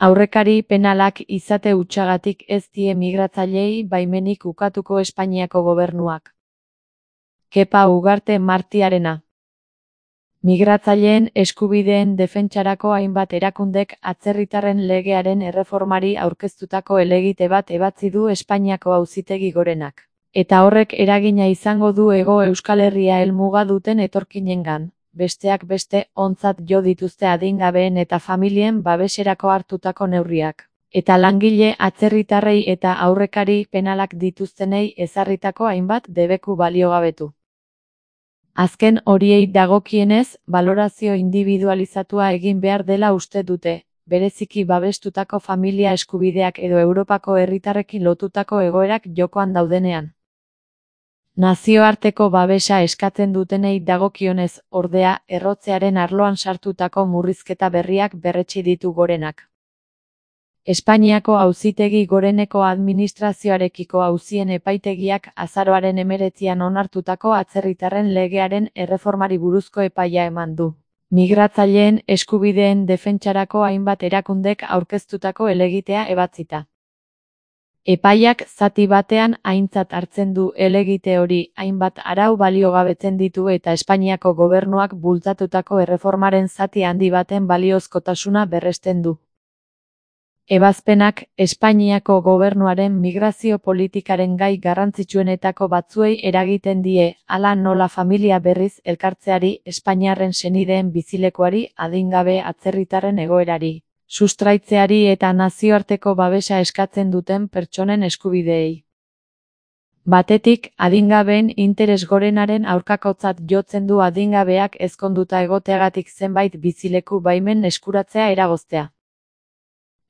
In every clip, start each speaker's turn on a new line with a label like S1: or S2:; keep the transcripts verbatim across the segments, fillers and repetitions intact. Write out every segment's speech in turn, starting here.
S1: Aurrekari penalak izate hutsagatik ez die migratzaileei baimenik ukatuko Espainiako gobernuak. Kepa Ugarte Martiarena. Migratzaileen eskubideen defentsarako hainbat erakundek atzerritarren legearen erreformari aurkeztutako helegite bat ebatzi du Espainiako Auzitegi Gorenak. Eta horrek eragina izango du Hego Euskal Herria helmuga duten etorkinengan. Besteak beste, ontzat jo dituzte adingabeen eta familien babeserako hartutako neurriak. Eta langile atzerritarrei eta aurrekari penalak dituztenei ezarritako hainbat debeku baliogabetu. Azken horiei dagokienez, balorazio indibidualizatua egin behar dela uste dute, bereziki babestutako familia eskubideak edo Europako herritarrekin lotutako egoerak jokoan daudenean. Nazioarteko babesa eskatzen dutenei dagokionez, ordea, errotzearen arloan sartutako murrizketa berriak berretsi ditu Gorenak. Espainiako Auzitegi Goreneko administrazioarekiko auzien epaitegiak azaroaren hemeretzian onartutako atzerritarren legearen erreformari buruzko epaia eman du. Migratzaileen eskubideen defentsarako hainbat erakundek aurkeztutako helegitea ebatzita. Epaiak zati batean aintzat hartzen du helegite hori hainbat arau baliogabetzen ditu eta Espainiako gobernuak bultzatutako erreformaren zati handi baten baliozkotasuna berresten du. Ebazpenak Espainiako gobernuaren migrazio politikaren gai garrantzitsuenetako batzuei eragiten die, hala nola familia berriz elkartzeari, Espainiarren senideen bizilekuari, adingabe atzerritarren egoerari, sustraitzeari eta nazioarteko babesa eskatzen duten pertsonen eskubideei. Batetik, adingabeen interes gorenaren aurkakotzat jotzen du adingabeak ezkonduta egoteagatik zenbait bizileku baimen eskuratzea eragoztea.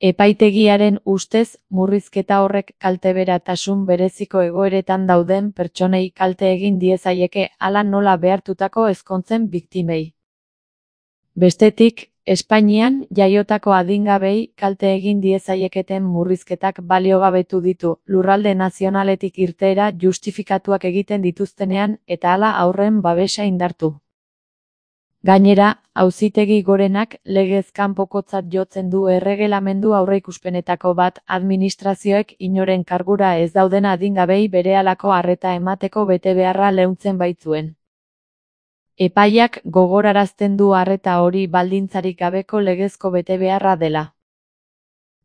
S1: Epaitegiaren ustez, murrizketa horrek kalteberatasun bereziko egoeretan dauden pertsonei kalte egin diezaieke hala nola behartutako ezkontzen biktimei. Bestetik, Espainian jaiotako adingabei kalte egin diezaieketen murrizketak baliogabetu ditu, lurralde nazionaletik irteera justifikatuak egiten dituztenean eta hala haurren babesa indartu. Gainera, Auzitegi Gorenak legez kanpokotzat jotzen du erregelamendu aurreikuspenetako bat administrazioek inoren kargura ez dauden adingabei berehalako arreta emateko betebeharra leuntzen baitzuen. Epaiak gogorarazten du arreta hori baldintzarik gabeko legezko betebeharra dela.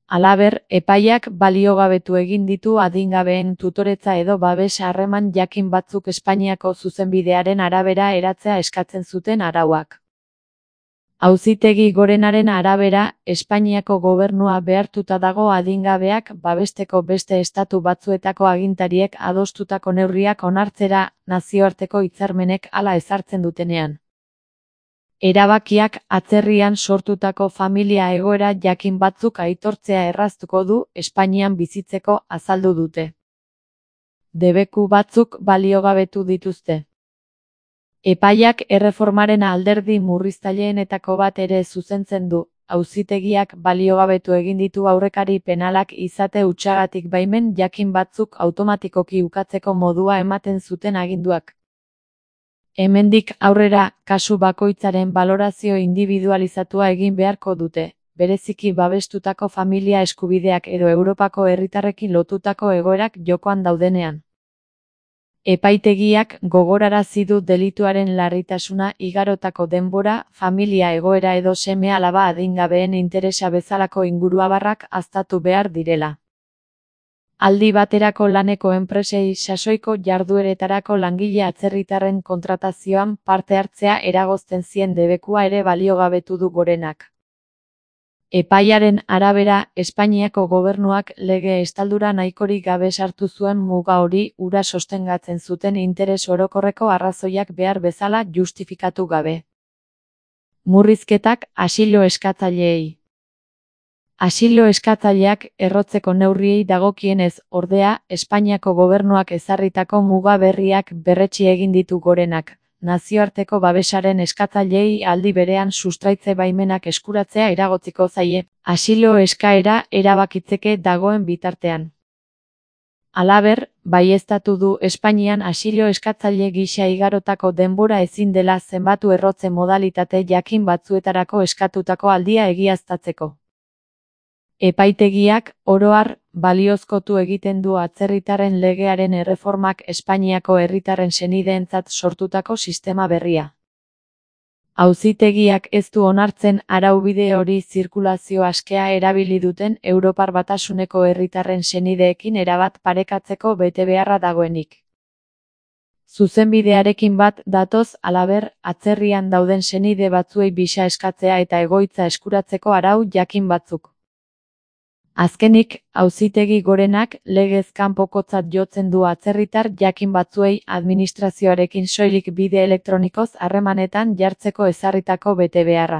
S1: Halaber, epaiak baliogabetu egin ditu adingabeen tutoretza edo babes harreman jakin batzuk Espainiako zuzenbidearen arabera eratzea eskatzen zuten arauak. Auzitegi Gorenaren arabera, Espainiako gobernua behartuta dago adingabeak babesteko beste estatu batzuetako agintariek adostutako neurriak onartzera, nazioarteko hitzarmenek hala ezartzen dutenean. Erabakiak atzerrian sortutako familia egoera jakin batzuk aitortzea erraztuko du Espainian bizitzeko azaldu dute. Debeku batzuk baliogabetu dituzte. Epaiak erreformaren alderdi murriztaileenetako bat ere zuzentzen du, auzitegiak baliogabetu egin ditu aurrekari penalak izate hutsagatik baimen jakin batzuk automatikoki ukatzeko modua ematen zuten aginduak. Hemendik aurrera, kasu bakoitzaren balorazio indibidualizatua egin beharko dute, bereziki babestutako familia eskubideak edo Europako herritarrekin lotutako egoerak jokoan daudenean. Epaitegiak gogorarazi du delituaren larritasuna igarotako denbora, familia egoera edo seme-alaba adingabeen interesa bezalako inguruabarrak aztertu behar direla. Aldi baterako laneko enpresei sasoiko jardueretarako langile atzerritarren kontratazioan parte hartzea eragozten zien debekua ere baliogabetu du Gorenak. Epaiaren arabera, Espainiako gobernuak lege estaldura nahikorik gabe sartu zuen muga hori hura sostengatzen zuten interes orokorreko arrazoiak behar bezala justifikatu gabe. Murrizketak asilo eskatzaileei. Asilo eskatzaileak errotzeko neurriei dagokienez, ordea, Espainiako gobernuak ezarritako muga berriak berretsi egin ditu Gorenak. Nazioarteko babesaren eskatzaileei aldi berean sustraitze baimenak eskuratzea eragotziko zaie, asilo eskaera erabakitzeke dagoen bitartean. Halaber, baieztatu du Espainian asilo eskatzaile gisa igarotako denbora ezin dela zenbatu errotze modalitate jakin batzuetarako eskatutako aldia egiaztatzeko. Epaitegiak, oro har, baliozkotu egiten du atzerritarren legearen erreformak Espainiako herritarren senideentzat sortutako sistema berria. Auzitegiak ez du onartzen araubide hori zirkulazio askea erabili duten Europar Batasuneko herritarren senideekin erabat parekatzeko betebeharra dagoenik. Zuzenbidearekin bat datoz, halaber, atzerrian dauden senide batzuei bisa eskatzea eta egoitza eskuratzeko arau jakin batzuk. Azkenik, Auzitegi Gorenak legez kanpokotzat jotzen du atzerritar jakin batzuei administrazioarekin soilik bide elektronikoz harremanetan jartzeko ezarritako betebeharra.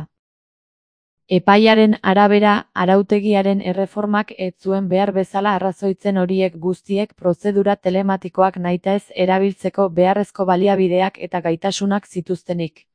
S1: Epaiaren arabera, arautegiaren erreformak ez zuen behar bezala arrazoitzen horiek guztiek prozedura telematikoak nahitaez erabiltzeko beharrezko baliabideak eta gaitasunak zituztenik.